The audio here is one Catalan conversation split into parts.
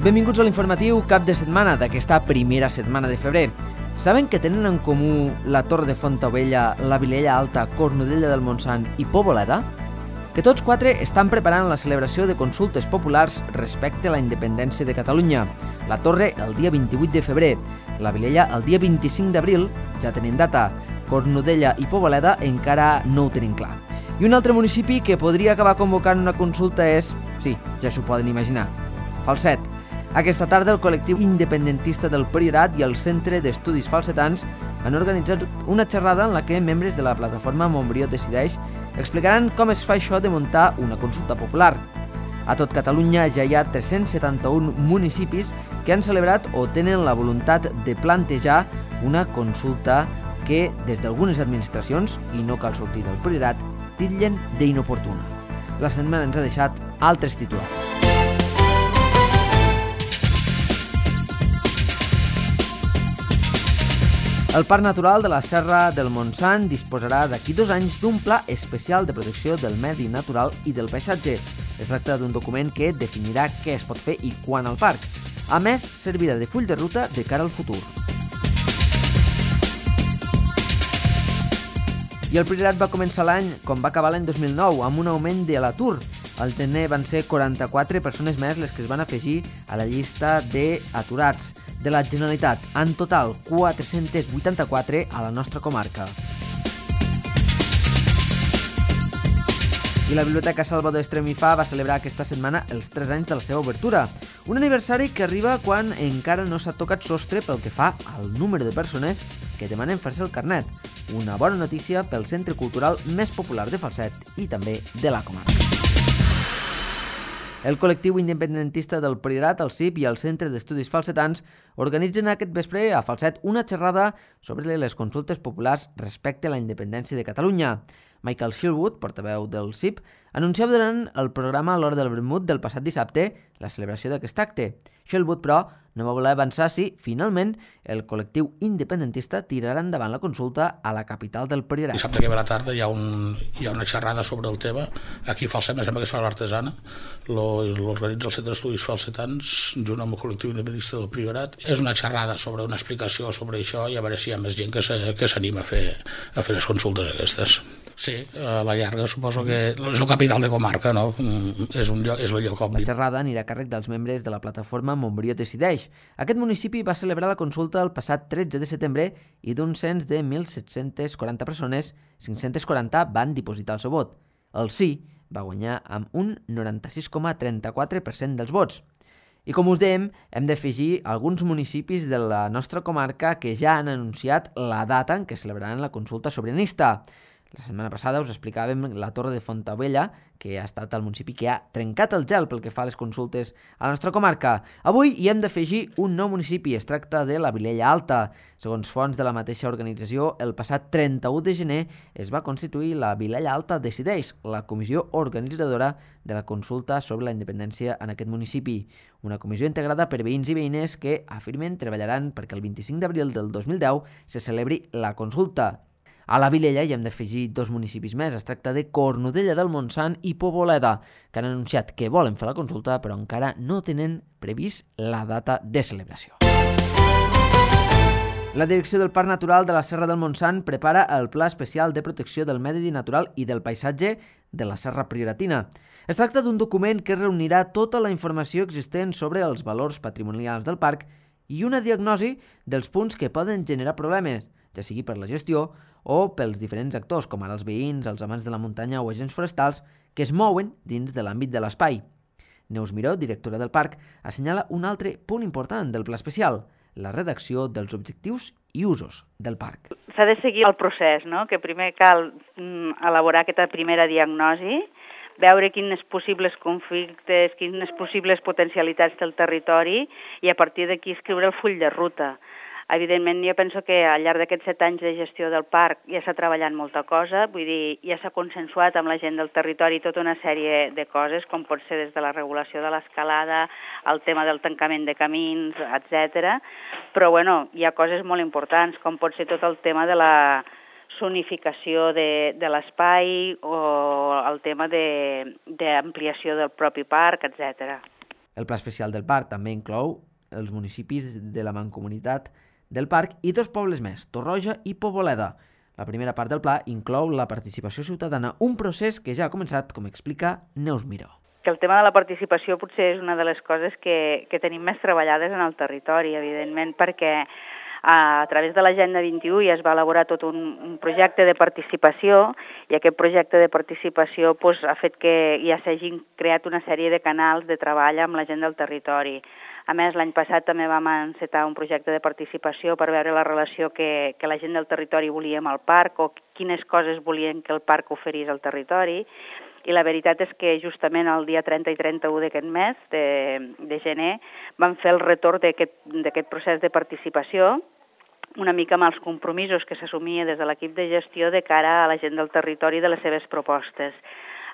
Benvinguts a l'informatiu cap de setmana d'aquesta primera setmana de febrer. Saben que tenen en comú la Torre de Fontaubella, la Vilella Alta, Cornudella del Montsant i Poboleda? Que tots quatre estan preparant la celebració de consultes populars respecte a la independència de Catalunya. La Torre el dia 28 de febrer, la Vilella el dia 25 d'abril, ja tenen data. Cornudella i Poboleda encara no ho tenim clar. I un altre municipi que podria acabar convocant una consulta és, sí, ja s'ho poden imaginar, Falset. Aquesta tarda el col·lectiu independentista del Priorat i el Centre d'Estudis Falsetans han organitzat una xerrada en la que membres de la plataforma Montbrió Decideix explicaran com es fa això de muntar una consulta popular. A tot Catalunya ja hi ha 371 municipis que han celebrat o tenen la voluntat de plantejar una consulta que, des d'algunes administracions, i no cal sortir del Priorat, titllen d'inoportuna. La setmana ens ha deixat altres titulars. El Parc Natural de la Serra del Montsant disposarà d'aquí 2 anys d'un pla especial de protecció del medi natural i del paisatge. Es tracta d'un document que definirà què es pot fer i quan al parc. A més, servirà de full de ruta de cara al futur. I el Priorat va començar l'any com va acabar l'any 2009, amb un augment de l'atur. Al gener van ser 44 persones més les que es van afegir a la llista d'aturats de la Generalitat. En total, 484 a la nostra comarca. I la Biblioteca Salvador Estremifà va celebrar aquesta setmana els 3 anys de la seva obertura. Un aniversari que arriba quan encara no s'ha tocat sostre pel que fa al número de persones que demanen fer-se el carnet. Una bona notícia pel centre cultural més popular de Falset i també de la comarca. El col·lectiu independentista del Priorat, el CIP i el Centre d'Estudis Falsetans organitzen aquest vespre a Falset una xerrada sobre les consultes populars respecte a la independència de Catalunya. Michael Shillwood, portaveu del CIP, anunciava durant el programa a l'hora del vermut del passat dissabte la celebració d'aquest acte. Shillwood, però, no va voler avançar si, finalment, el col·lectiu independentista tirarà endavant la consulta a la capital del Priorat. Dissabte que ve a la tarda hi ha una xerrada sobre el tema. Aquí a Falset, em sembla que es fa l'Artesana, l'organitza el Centre d'Estudis Falsetans, junt amb el col·lectiu independentista del Priorat. És una xerrada sobre una explicació sobre això i a veure si hi ha més gent que s'anima a fer les consultes aquestes. Sí, a la llarga suposo que és el capital de comarca, no? És el lloc obvi. La xerrada anirà a càrrec dels membres de la plataforma Montbrió Decideix. Aquest municipi va celebrar la consulta el passat 13 de setembre i d'un cens de 1.740 persones, 540 van dipositar el seu vot. El sí va guanyar amb un 96,34% dels vots. I com us dèiem, hem d'afegir alguns municipis de la nostra comarca que ja han anunciat la data en què celebraran la consulta sobiranista. La setmana passada us explicàvem la Torre de Fontaubella, que ha estat el municipi que ha trencat el gel pel que fa a les consultes a la nostra comarca. Avui hi hem d'afegir un nou municipi, es tracta de la Vilella Alta. Segons fonts de la mateixa organització, el passat 31 de gener es va constituir la Vilella Alta Decideix, la comissió organitzadora de la consulta sobre la independència en aquest municipi. Una comissió integrada per veïns i veïnes que afirmen treballaran perquè el 25 d'abril del 2010 se celebri la consulta. A la Vilella hi hem d'afegir 2 municipis més. Es tracta de Cornudella del Montsant i Poboleda, que han anunciat que volen fer la consulta, però encara no tenen previst la data de celebració. La Direcció del Parc Natural de la Serra del Montsant prepara el Pla Especial de Protecció del Medi Natural i del Paisatge de la Serra Prioratina. Es tracta d'un document que reunirà tota la informació existent sobre els valors patrimonials del parc i una diagnosi dels punts que poden generar problemes, ja sigui per la gestió o pels diferents actors, com ara els veïns, els amants de la muntanya o agents forestals, que es mouen dins de l'àmbit de l'espai. Neus Miró, directora del parc, assenyala un altre punt important del pla especial, la redacció dels objectius i usos del parc. S'ha de seguir el procés, no? Que primer cal elaborar aquesta primera diagnosi, veure quins possibles conflictes, quines possibles potencialitats té el territori i a partir d'aquí escriure el full de ruta. Evidentment, jo penso que al llarg d'aquests 7 anys de gestió del parc ja s'ha treballat molta cosa, vull dir, ja s'ha consensuat amb la gent del territori tota una sèrie de coses, com pot ser des de la regulació de l'escalada, el tema del tancament de camins, etc. Però, bueno, hi ha coses molt importants, com pot ser tot el tema de la zonificació de l'espai o el tema d'ampliació del propi parc, etc. El pla especial del parc també inclou els municipis de la mancomunitat del parc i 2 pobles més, Torroja i Poboleda. La primera part del pla inclou la participació ciutadana, un procés que ja ha començat, com explica Neus Miró. Que el tema de la participació potser és una de les coses que tenim més treballades en el territori, evidentment, perquè a través de l'Agenda 21 ja es va elaborar tot un projecte de participació i aquest projecte de participació ha fet que ja s'hagin creat una sèrie de canals de treball amb la gent del territori. A més, l'any passat també vam encetar un projecte de participació per veure la relació que la gent del territori volia amb el parc o quines coses volien que el parc oferís al territori. I la veritat és que justament el dia 30 i 31 d'aquest mes, de gener, vam fer el retorn d'aquest procés de participació, una mica amb els compromisos que s'assumia des de l'equip de gestió de cara a la gent del territori de les seves propostes.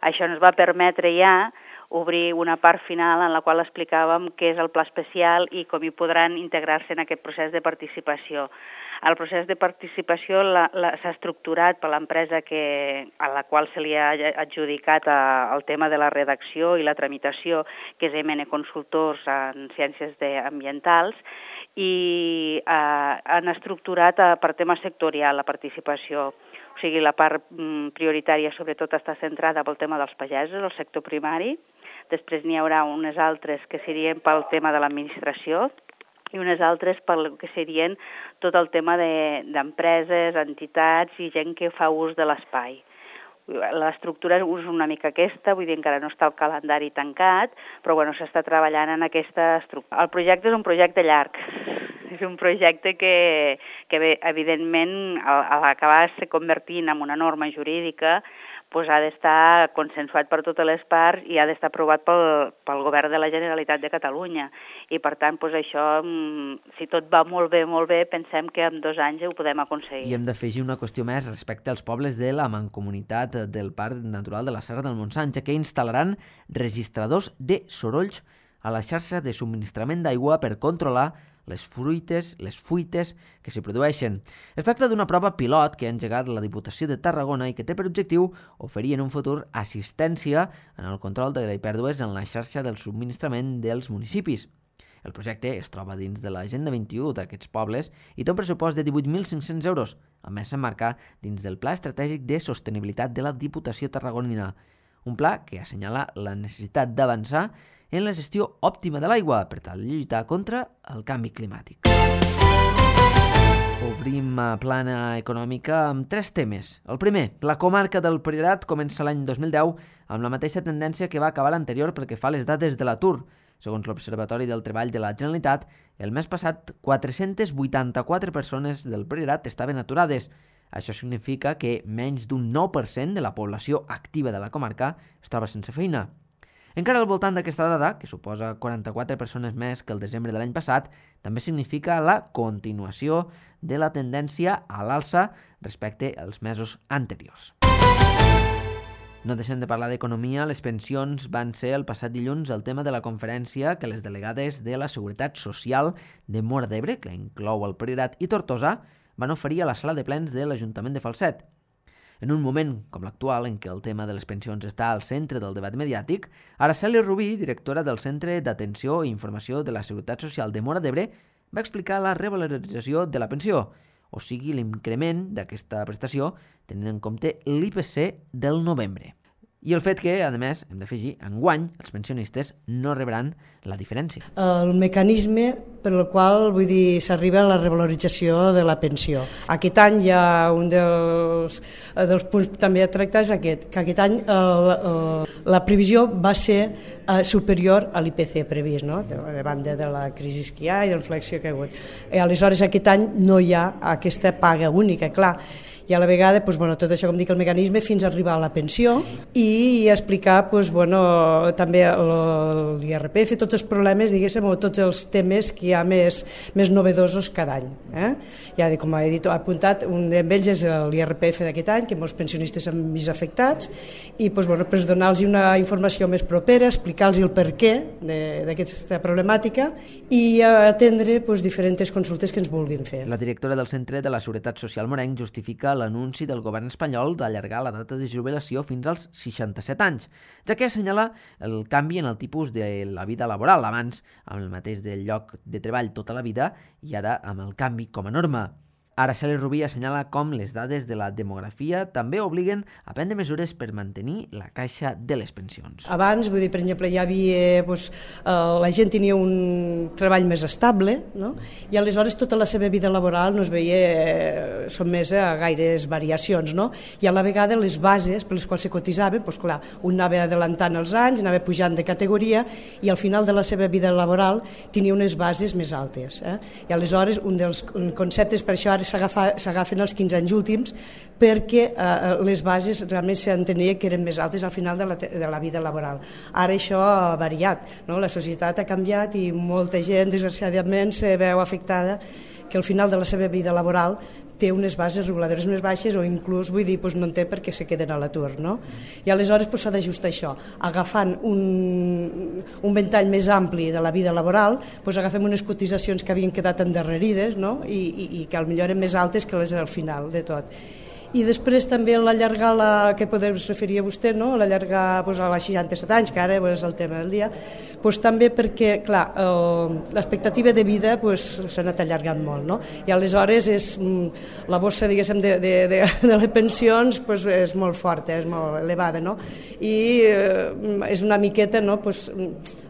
Això ens va permetre ja obrir una part final en la qual explicàvem què és el pla especial i com hi podran integrar-se en aquest procés de participació. El procés de participació s'ha estructurat per l'empresa a la qual se li ha adjudicat el tema de la redacció i la tramitació, que és MN Consultors en Ciències Ambientals, i han estructurat per tema sectorial la participació. O sigui, la part prioritària sobretot està centrada pel tema dels pagesos, el sector primari. Després n'hi haurà unes altres que serien pel tema de l'administració i unes altres pel que serien tot el tema d'empreses, entitats i gent que fa ús de l'espai. L'estructura és una mica aquesta, vull dir, encara no està el calendari tancat, però bueno, s'està treballant en aquesta estructura. El projecte és un projecte llarg, és un projecte que evidentment, a l'acabar-se convertint en una norma jurídica, ha d'estar consensuat per totes les parts i ha d'estar aprovat pel Govern de la Generalitat de Catalunya. I per tant, això, si tot va molt bé, pensem que en 2 anys ho podem aconseguir. I hem d'afegir una qüestió més respecte als pobles de la mancomunitat del Parc Natural de la Serra del Montsant, ja que instal·laran registradors de sorolls a la xarxa de subministrament d'aigua per controlar les fuites que s'hi produeixen. Es tracta d'una prova pilot que ha engegat la Diputació de Tarragona i que té per objectiu oferir en un futur assistència en el control de les pèrdues en la xarxa del subministrament dels municipis. El projecte es troba dins de l'Agenda 21 d'aquests pobles i té un pressupost de 18.500 euros. A més, s'emmarca dins del Pla Estratègic de Sostenibilitat de la Diputació Tarragonina, un pla que assenyala la necessitat d'avançar en la gestió òptima de l'aigua per tal de lluitar contra el canvi climàtic. Obrim plana econòmica amb 3 temes. El primer, la comarca del Priorat comença l'any 2010 amb la mateixa tendència que va acabar l'anterior pel que fa a les dades de l'atur. Segons l'Observatori del Treball de la Generalitat, el mes passat 484 persones del Priorat estaven aturades. Això significa que menys d'un 9% de la població activa de la comarca es troba sense feina. Encara al voltant d'aquesta dada, que suposa 44 persones més que el desembre de l'any passat, també significa la continuació de la tendència a l'alça respecte als mesos anteriors. No deixem de parlar d'economia. Les pensions van ser el passat dilluns el tema de la conferència que les delegades de la Seguretat Social de Móra d'Ebre, que inclou el Priorat i Tortosa, van oferir a la sala de plens de l'Ajuntament de Falset. En un moment com l'actual, en què el tema de les pensions està al centre del debat mediàtic, Araceli Rubí, directora del Centre d'Atenció i Informació de la Seguretat Social de Móra d'Ebre, va explicar la revalorització de la pensió, o sigui, l'increment d'aquesta prestació tenint en compte l'IPC del novembre. I el fet que, a més, hem d'afegir, enguany els pensionistes no rebran la diferència. El mecanisme per el qual s'arriba a la revalorització de la pensió. Aquest any hi ha un dels punts també a tractar és aquest, que aquest any la previsió va ser superior a l'IPC previst, no? De banda de la crisi que hi ha i de la inflexió que hi ha hagut. Aleshores, aquest any no hi ha aquesta paga única, clar. I a la vegada, tot això, com dic, el mecanisme fins a arribar a la pensió i explicar també l'IRPF, tots els problemes, diguéssim, o tots els temes que hi ha més novedosos cada any. Ja, com he dit, ha apuntat, un d'ells és l'IRPF d'aquest any, que molts pensionistes han vist afectats, i donar-los una informació més propera, explicar-los el perquè d'aquesta problemàtica i atendre diferents consultes que ens vulguin fer. La directora del Centre de la Seguretat Social morenc justifica critica l'anunci del govern espanyol d'allargar la data de jubilació fins als 67 anys, ja que assenyala el canvi en el tipus de la vida laboral, abans amb el mateix del lloc de treball tota la vida i ara amb el canvi com a norma. Araceli Rubí assenyala com les dades de la demografia també obliguen a prendre mesures per mantenir la caixa de les pensions. Abans, vull dir, per exemple, hi havia, la gent tenia un treball més estable, no? I aleshores tota la seva vida laboral no es veia sotmesa a gaires variacions, no? I a la vegada les bases per les quals se cotitzaven, doncs clar, un anava adelantant els anys, anava pujant de categoria i al final de la seva vida laboral tenia unes bases més altes. I aleshores un dels conceptes, per això ara s'agafen els 15 anys últims perquè les bases realment s'entenia que eren més altes al final de la vida laboral. Ara això ha variat, no? La societat ha canviat i molta gent, desgraciadament, se veu afectada que al final de la seva vida laboral té unes bases reguladores més baixes o inclús, vull dir, no en té perquè se queden a l'atur, no? I aleshores s'ha d'ajustar això, agafant un ventall més ampli de la vida laboral, agafem unes cotitzacions que havien quedat endarrerides, no? I que potser eren més altes que les del final de tot. I després també l'allargar, que podem referir a vostè, no? L'allargar a les 67 anys, que ara és el tema del dia, també perquè, clar, l'expectativa de vida s'ha anat allargant molt, no? I aleshores la bossa, diguéssim, de les pensions és molt forta, és molt elevada, no? I és una miqueta, no?,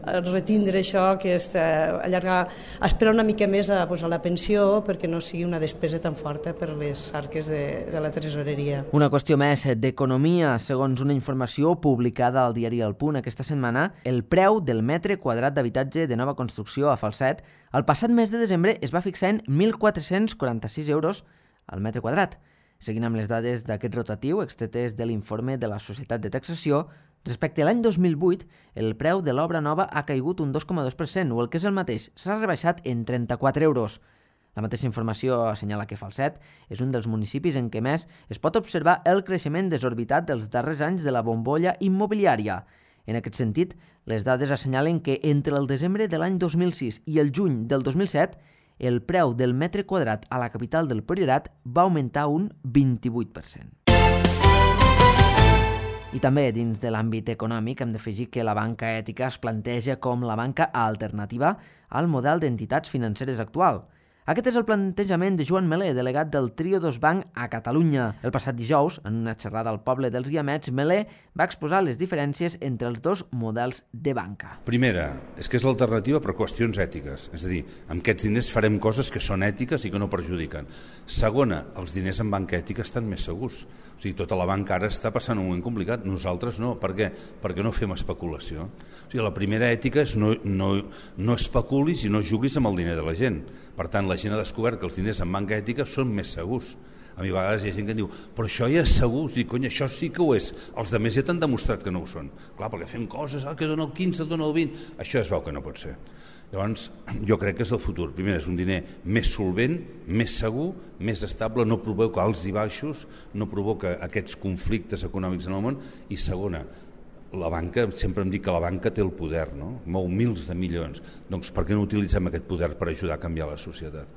retindre això, que és allargar, esperar una mica més a la pensió perquè no sigui una despesa tan forta per les arques de la tresoreria. Una qüestió més d'economia. Segons una informació publicada al diari El Punt aquesta setmana, el preu del metre quadrat d'habitatge de nova construcció a Falset el passat mes de desembre es va fixar en 1.446 euros al metre quadrat. Seguint amb les dades d'aquest rotatiu extretes de l'informe de la Societat de Taxació, respecte a l'any 2008, el preu de l'obra nova ha caigut un 2,2%, o el que és el mateix, s'ha rebaixat en 34 euros. La mateixa informació assenyala que Falset és un dels municipis en què més es pot observar el creixement desorbitat dels darrers anys de la bombolla immobiliària. En aquest sentit, les dades assenyalen que entre el desembre de l'any 2006 i el juny del 2007, el preu del metre quadrat a la capital del Priorat va augmentar un 28%. I també dins de l'àmbit econòmic hem d'afegir que la banca ètica es planteja com la banca alternativa al model d'entitats financeres actual. Aquest és el plantejament de Joan Melé, delegat del Trio 2 Banc a Catalunya. El passat dijous, en una xerrada al poble dels Guiamets, Melé va exposar les diferències entre els dos models de banca. Primera, és que és l'alternativa per qüestions ètiques. És a dir, amb aquests diners farem coses que són ètiques i que no perjudiquen. Segona, els diners en banca ètica estan més segurs. O sigui, tota la banca ara està passant un moment complicat. Nosaltres no. Per què? Perquè no fem especulació. O sigui, la primera ètica és no especulis i no juguis amb el diner de la gent. Per tant, la gent ha descobert que els diners en banca ètica són més segurs. A mi a vegades hi ha gent que diu, però això ja és segur, dic, cony, això sí que ho és. Els altres ja t'han demostrat que no ho són. Clar, perquè fem coses, que dona el 15, dona el 20, això es veu que no pot ser. Llavors, jo crec que és el futur. Primer, és un diner més solvent, més segur, més estable, no provoca alts i baixos, no provoca aquests conflictes econòmics en el món. I segona, la banca, sempre em dic que la banca té el poder, no? Mou mils de milions. Doncs per què no utilitzem aquest poder per ajudar a canviar la societat?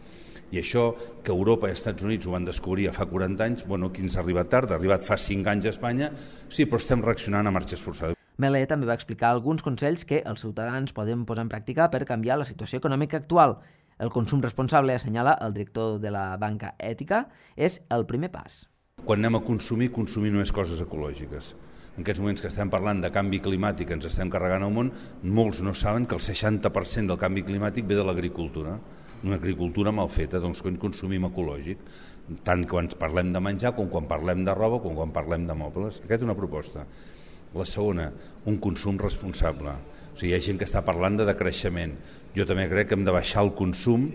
I això, que Europa i els Estats Units ho van descobrir fa 40 anys, bueno, aquí ens ha arribat tard, ha arribat fa 5 anys a Espanya, sí, però estem reaccionant a marxes forçades. Melé també va explicar alguns consells que els ciutadans poden posar en pràctica per canviar la situació econòmica actual. El consum responsable, assenyala el director de la banca ètica, és el primer pas. Quan anem a consumir només coses ecològiques. En aquests moments que estem parlant de canvi climàtic, ens estem carregant al món, molts no saben que el 60% del canvi climàtic ve de l'agricultura. Una agricultura mal feta, doncs quan consumim ecològic, tant quan parlem de menjar com quan parlem de roba com quan parlem de mobles. Aquesta és una proposta. La segona, un consum responsable. O sigui, hi ha gent que està parlant de decreixement. Jo també crec que hem de baixar el consum,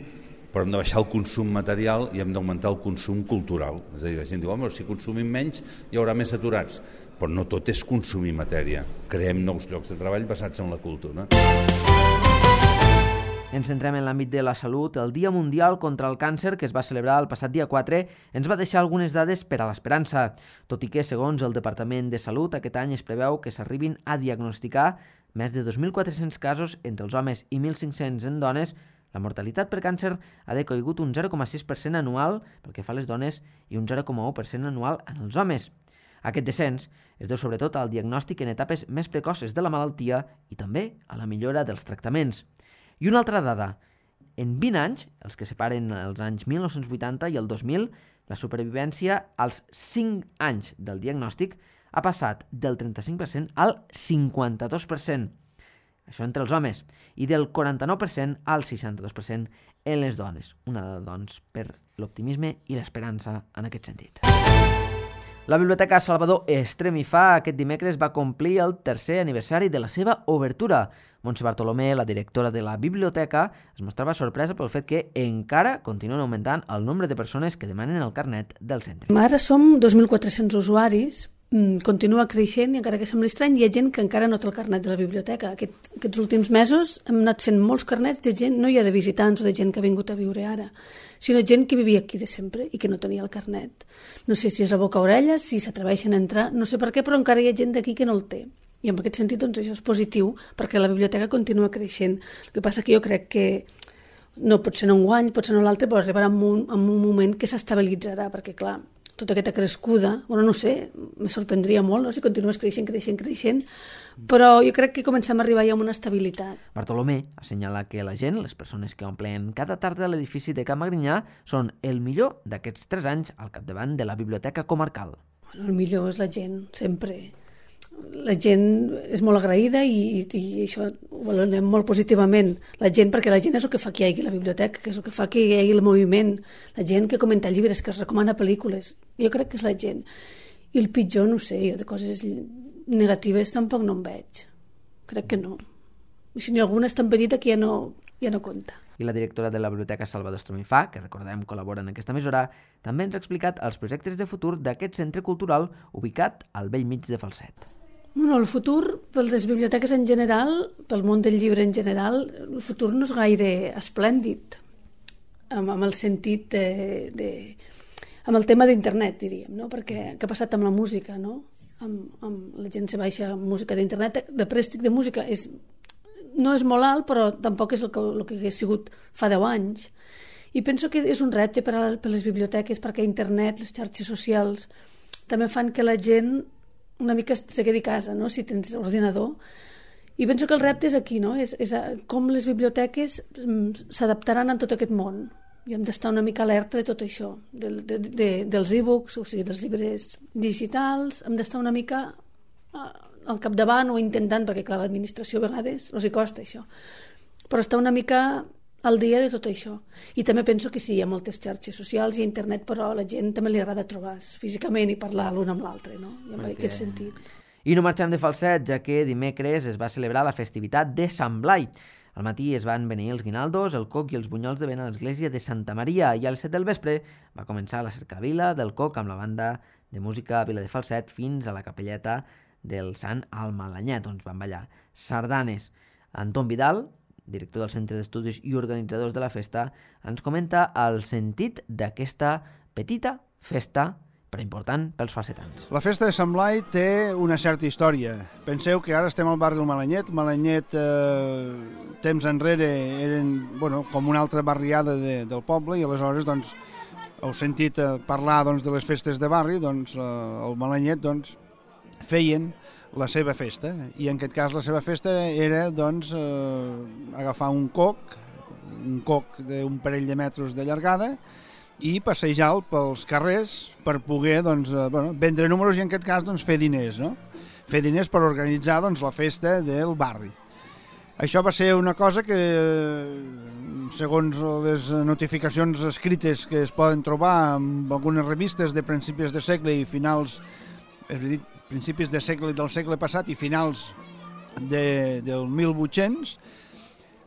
però hem de baixar el consum material i hem d'augmentar el consum cultural. És a dir, la gent diu, home, si consumim menys hi haurà més aturats. Però no tot és consumir matèria. Creem nous llocs de treball basats en la cultura. Ens centrem en l'àmbit de la salut. El Dia Mundial contra el Càncer, que es va celebrar el passat dia 4, ens va deixar algunes dades per a l'esperança, tot i que, segons el Departament de Salut, aquest any es preveu que s'arribin a diagnosticar més de 2.400 casos entre els homes i 1.500 en dones La mortalitat per càncer ha decaigut un 0,6% anual pel que fa a les dones i un 0,1% anual en els homes. Aquest descens es deu sobretot al diagnòstic en etapes més precoces de la malaltia i també a la millora dels tractaments. I una altra dada. En 20 anys, els que separen els anys 1980 i el 2000, la supervivència als 5 anys del diagnòstic ha passat del 35% al 52%. Això entre els homes. I del 49% al 62% en les dones. Una dada, doncs, per l'optimisme i l'esperança en aquest sentit. La Biblioteca Salvador Estremifà aquest dimecres va complir el 3è aniversari de la seva obertura. Montse Bartolomé, la directora de la biblioteca, es mostrava sorpresa pel fet que encara continuen augmentant el nombre de persones que demanen el carnet del centre. Ara som 2.400 usuaris, continua creixent i encara que sembli estrany hi ha gent que encara no té el carnet de la biblioteca. Aquests últims mesos hem anat fent molts carnets de gent, no ja de visitants o de gent que ha vingut a viure ara, sinó gent que vivia aquí de sempre i que no tenia el carnet. No sé si és a boca orella, si s'atreveixen a entrar, no sé per què, però encara hi ha gent d'aquí que no el té. I en aquest sentit doncs, això és positiu perquè la biblioteca continua creixent. El que passa que jo crec que no pot ser en un guany, pot ser en l'altre, però arribarà en un moment que s'estabilitzarà, perquè clar, tota aquesta crescuda, bueno, no sé, me sorprendria molt, no? Si continues creixent, però jo crec que comencem a arribar ja a una estabilitat. Bartolomé assenyala que la gent, les persones que omplen cada tarda a l'edifici de Can Magrinyà, són el millor d'aquests 3 anys al capdavant de la biblioteca comarcal. Bueno, el millor és la gent, sempre. La gent és molt agraïda i això ho valorem molt positivament. La gent, perquè la gent és el que fa que hi hagi la biblioteca, que és el que fa que hi hagi el moviment. La gent que comenta llibres, que es recomana pel·lícules. Jo crec que és la gent. I el pitjor, no sé, jo de coses negatives tampoc no en veig. Crec que no. I si n'hi ha alguna és tan petita que ja no compta. I la directora de la Biblioteca Salvador Estremifà, que recordem col·labora en aquesta emissora, també ens ha explicat els projectes de futur d'aquest centre cultural ubicat al bell mig de Falset. Bueno, el futur, per les biblioteques en general, pel món del llibre en general, el futur no és gaire esplèndid, amb el sentit amb el tema d'internet, diríem, no? Perquè què ha passat amb la música, no? Amb la gent se baixa música d'internet, el préstec de música no és molt alt, però tampoc és el que hagués sigut fa 10 anys. I penso que és un repte per les biblioteques, perquè internet, les xarxes socials, també fan que la gent una mica se quedi a casa, no? Si tens ordinador. I penso que el repte és aquí, no? És com les biblioteques s'adaptaran a tot aquest món. I hem d'estar una mica alerta de tot això, dels e-books, o sigui, dels llibres digitals, hem d'estar una mica al capdavant o intentant, perquè clar, l'administració a vegades els hi costa això, però estar una mica al dia de tot això. I també penso que sí, hi ha moltes xarxes socials i internet, però a la gent també li agrada trobar físicament i parlar l'un amb l'altre, no? I en aquest sentit. I no marxem de Falset, ja que dimecres es va celebrar la festivitat de Sant Blai. Al matí es van beneir els guinaldos, el coc i els bunyols de vent a l'església de Santa Maria i a les 7 del vespre va començar la cercavila del coc amb la banda de música Vila de Falset fins a la capelleta del Sant Almalanyet, on van ballar sardanes. Anton Vidal, director del Centre d'Estudis i organitzadors de la festa, ens comenta el sentit d'aquesta petita festa però important pels falsetans. La festa de Sant Blai té una certa història. Penseu que ara estem al barri del Malanyet. Malanyet, temps enrere, eren com una altra barriada del poble i aleshores heu sentit parlar de les festes de barri, al Malanyet feien la seva festa i en aquest cas la seva festa era agafar un coc d'un parell de metres de llargada i passeja'l pels carrers per poder vendre números i en aquest cas fer diners, no? Fer diners per organitzar la festa del barri. Això va ser una cosa que, segons les notificacions escrites que es poden trobar en algunes revistes de principis de segle i finals, és a dir, principis de segle del segle passat i finals del 1800,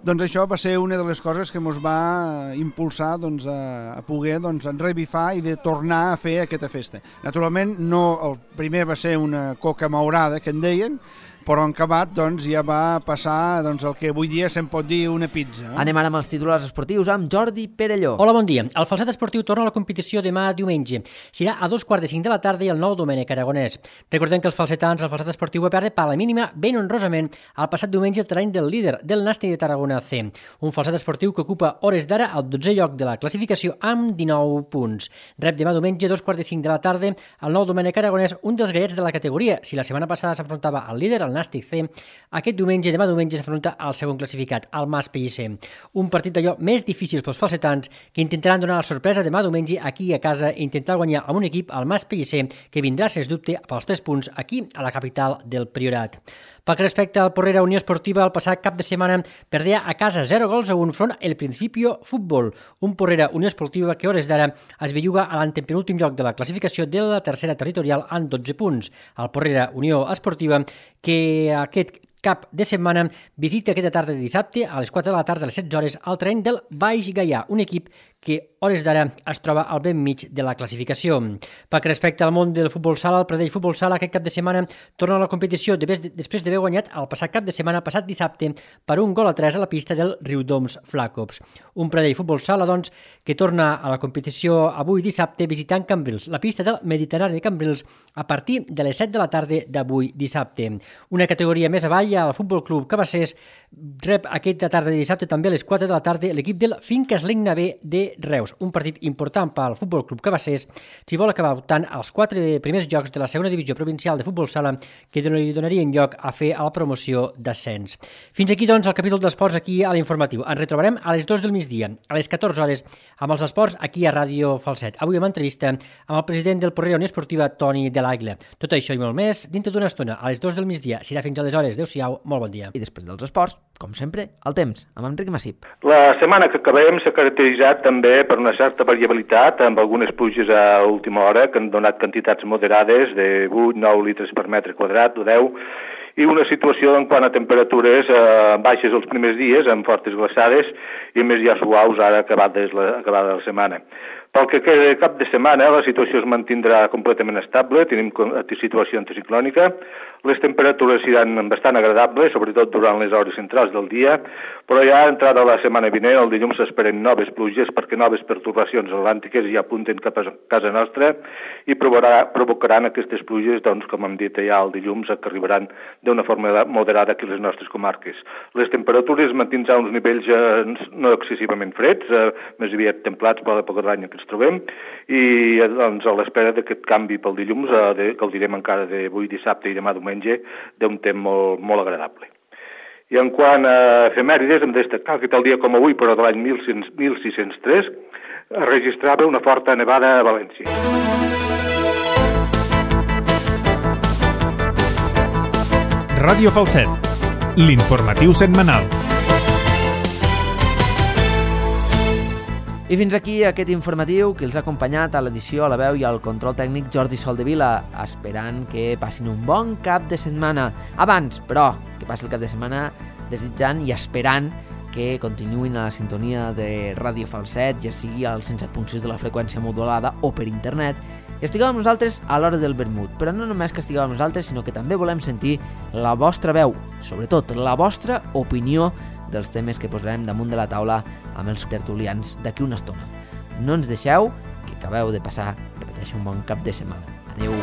això va ser una de les coses que ens va impulsar a poder revifar i de tornar a fer aquesta festa. Naturalment, el primer va ser una coca maurada, que en deien, però en acabat doncs, ja va passar doncs, el que avui dia se'n pot dir una pizza. Anem ara amb els titulars esportius amb Jordi Perelló. Hola, bon dia. El Falset Esportiu torna a la competició demà diumenge. Serà a 2:45 de la tarda i el nou Domènec Aragonès. Recordem que els falsetans, el Falset Esportiu va perdre per la mínima ben honrosament el passat diumenge el terreny del líder del Nàstic de Tarragona C. Un Falset Esportiu que ocupa hores d'ara al 12è lloc de la classificació amb 19 punts. Rep demà diumenge 2:45 de la tarda el nou Domènec Aragonès, un dels gallets de la categoria. Si la setmana passada s'afrontava al líder, el Nàstic C, aquest diumenge, demà diumenge, s'afronta al segon classificat, el Mas Pellicer. Un partit d'allò més difícil pels falsetans que intentaran donar la sorpresa demà diumenge aquí a casa i intentar guanyar amb un equip, el Mas Pellicer, que vindrà, sens dubte, pels 3 punts aquí a la capital del Priorat. Pel que respecta al Porrera Unió Esportiva, el passat cap de setmana perdea a casa 0-1 front el Principio Futbol, un Porrera Unió Esportiva que hores d'ara es belluga a l'antepenúltim lloc de la classificació de la tercera territorial amb 12 punts. El Porrera Unió Esportiva que aquest cap de setmana visita aquesta tarda de dissabte a les 4 de la tarda a les 16 hores al terreny del Baix Gaià, un equip que hores d'ara es troba al ben mig de la classificació. Pel que respecta al món del futbol sala, el Pradell Futbol Sala aquest cap de setmana torna a la competició després d'haver guanyat el passat cap de setmana, passat dissabte, per 1-3 a la pista del Riudoms Flacops. Un Pradell Futbol Sala, doncs, que torna a la competició avui dissabte visitant Cambrils, la pista del Mediterrani de Cambrils, a partir de les 7 de la tarda d'avui dissabte. Una categoria més avall, el Futbol Club Cabassers rep aquesta tarda de dissabte també a les 4 de la tarda l'equip del Finques Ligna B de Reus, un partit important pel Futbol Club Cabassers si vol acabar optant als 4 primers llocs de la segona divisió provincial de futbol sala que li donarien lloc a fer a la promoció d'ascens. Fins aquí, doncs, el capítol d'esports aquí a l'Informatiu. Ens retrobarem a les 2 del migdia, a les 14 hores, amb els esports aquí a Ràdio Falset. Avui amb entrevista amb el president del Porrera Unió Esportiva, Toni de l'Aigle. Tot això i molt més dintre d'una estona, a les 2 del migdia. Serà fins aleshores. Adéu-siau, molt bon dia. I després dels esports, com sempre, el temps, amb Enric Massip. La setmana que acabem s'ha caracteritzat també per una certa variabilitat, amb algunes pluges a última hora que han donat quantitats moderades de 8-9 litres per metre quadrat o 10, i una situació en quant a temperatures baixes els primers dies, amb fortes glaçades, i més ja suaus ara acabada la setmana. Pel que queda cap de setmana, la situació es mantindrà completament estable, tenim situació anticiclònica, les temperatures seran bastant agradables, sobretot durant les hores centrals del dia, però ja entrada la setmana vinent, el dilluns s'esperen noves pluges perquè noves pertorbacions atlàntiques ja apunten cap a casa nostra i provocaran aquestes pluges, doncs, com hem dit ja el dilluns, que arribaran d'una forma moderada aquí a les nostres comarques. Les temperatures mantindran uns nivells no excessivament freds, més aviat templats per l'època de l'any que ens trobem, i doncs, a l'espera d'aquest canvi pel dilluns, que el direm encara d'avui dissabte i demà diumenge, d'un temps molt agradable. I en quant a efemèrides, hem de destacar que tal dia com avui, però de l'any 1603, es registrava una forta nevada a València. Ràdio Falset, l'informatiu setmanal. I fins aquí aquest informatiu que els ha acompanyat a l'edició, a la veu i al control tècnic Jordi Soldevila, esperant que passin un bon cap de setmana. Abans, però, que passi el cap de setmana desitjant i esperant que continuïn a la sintonia de Ràdio Falset, ja sigui al 107.6 de la freqüència modulada o per internet, i estigueu amb nosaltres a l'hora del vermut. Però no només que estigueu amb nosaltres, sinó que també volem sentir la vostra veu, sobretot la vostra opinió dels temes que posarem damunt de la taula amb els tertulians d'aquí una estona. No ens deixeu, que acabeu de passar, repeteixo, un bon cap de setmana. Adeu.